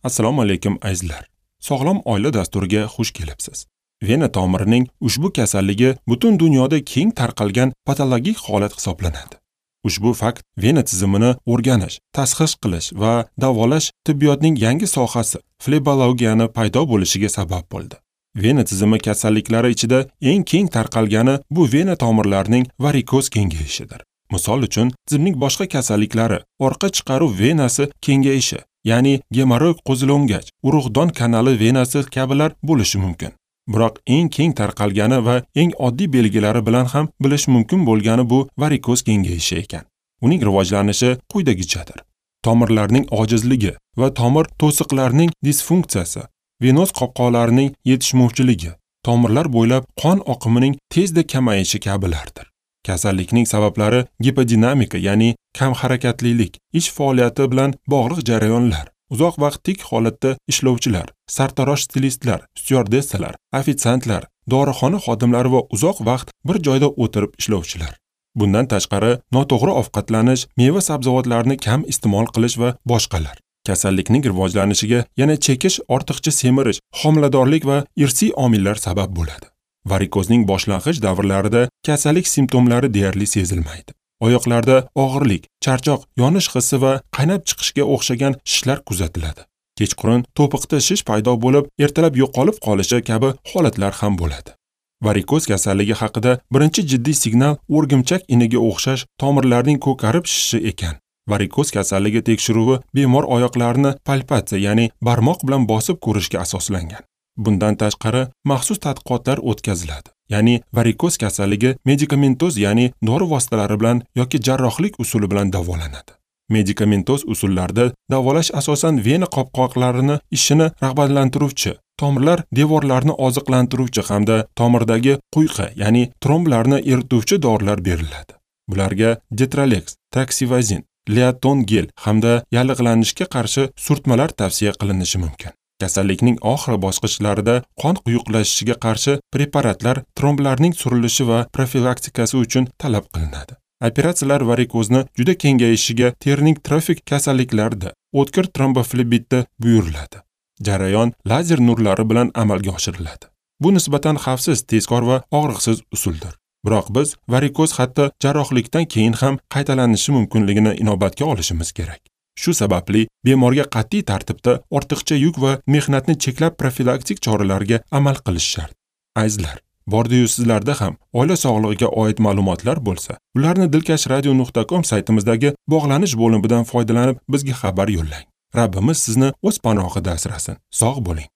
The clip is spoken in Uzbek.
Assalomu alaykum azizlar. Sog'lom oila dasturiga xush kelibsiz. Vena tomirining ushbu kasalligi butun dunyoda keng tarqalgan patologik holat hisoblanadi. Ushbu fakt vena tizimini o'rganish, tashxis qilish va davolash tibbiyotning yangi sohasi flebologiyani paydo bo'lishiga sabab bo'ldi. Vena tizimi kasalliklari ichida eng keng tarqalgani bu vena tomirlarining varikoz kengayishidir. Misol uchun, tizimning boshqa kasalliklari orqa chiqaruv venasi kengayishi, ya'ni gemoroid qo'zilongach, urug'don kanali venasi kabilar bo'lishi mumkin. Biroq eng keng tarqalgani va eng oddiy belgilari bilan ham bilish mumkin bo'lgani bu varikoz kengayishi ekan. Uning rivojlanishi quyidagichadir. Tomirlarning ojizligi va tomir to'siqlarining disfunksiyasi, venoz qopqoqlarining yetishmovchiligi, tomirlar bo'ylab qon oqimining tezda kamayishi kabilardir. Kasallikning sabablari gipodinamika, ya'ni kam harakatlilik, ish faoliyati bilan bog'liq jarayonlar, uzoq vaqt tik holatda ishlovchilar, sartarosh stilistlar, styuardessalar, ofitsiantlar, dorixona xodimlari va uzoq vaqt bir joyda o'tirib ishlovchilar. Bundan tashqari, noto'g'ri ovqatlanish, meva-sabzavotlarni kam iste'mol qilish va boshqalar. Kasallikning rivojlanishiga yana chekish, ortiqcha semirish, homiladorlik va irsiy omillar sabab bo'ladi. Varikozning boshlang'ich davrlarida kasallik simptomlari deyarli sezilmaydi. Oyoqlarda og'irlik, charchoq, yonish hissi va qaynab chiqishga o'xshagan shishlar kuzatiladi. Kechqurun to'piqda shish paydo bo'lib, ertalab yo'qolib qolishi kabi holatlar ham bo'ladi. Varikoz kasalligi haqida birinchi jiddiy signal o'rgimchak iniga o'xshash tomirlarning ko'karib shishishi ekan. Varikoz kasalligi tekshiruvi bemor oyoqlarini palpatsiya, ya'ni barmoq bilan bosib ko'rishga asoslangan. Bundan tashqari, maxsus tadqiqotlar o'tkaziladi. Ya'ni varikoz kasalligi medikamentoz, ya'ni dori vositalari bilan yoki jarrohlik usuli bilan davolanadi. Medikamentoz usullarda davolash asosan vena qopqoqlarini ishini rag'batlantiruvchi, tomirlar devorlarini oziqlantiruvchi hamda tomirdagi quyqa, ya'ni tromblarni erituvchi dorilar beriladi. Bularga Detralex, Traksivazin, Leaton gel hamda yallig'lanishga qarshi surtmalar tavsiya qilinishi mumkin. Kasallikning oxirgi bosqichlarida qon quyuqlashishiga qarshi preparatlar tromblarning surilishi va profilaktikasi uchun talab qilinadi. Operatsiyalar varikozni juda kengayishiga terining trofik kasalliklarida, o'tkir tromboflebitda buyuriladi. Jarayon lazer nurlari bilan amalga oshiriladi. Bu nisbatan xavfsiz, tezkor va og'riqsiz usuldir. Biroq biz varikoz hatto jarrohlikdan keyin ham qaytalanishi mumkinligini inobatga olishimiz kerak. Shu sababli bemorga qat'iy tartibda ortiqcha yuk va mehnatni cheklab profilaktik choralarga amal qilish shart. Azizlar, bordi-yu sizlarda ham oila sog'lig'iga oid ma'lumotlar bo'lsa, ularni dilkashradio.com saytimizdagi bog'lanish bo'limidan foydalanib bizga xabar yo'llang. Rabbimiz sizni o'z panohida asrasin. Sog' bo'ling.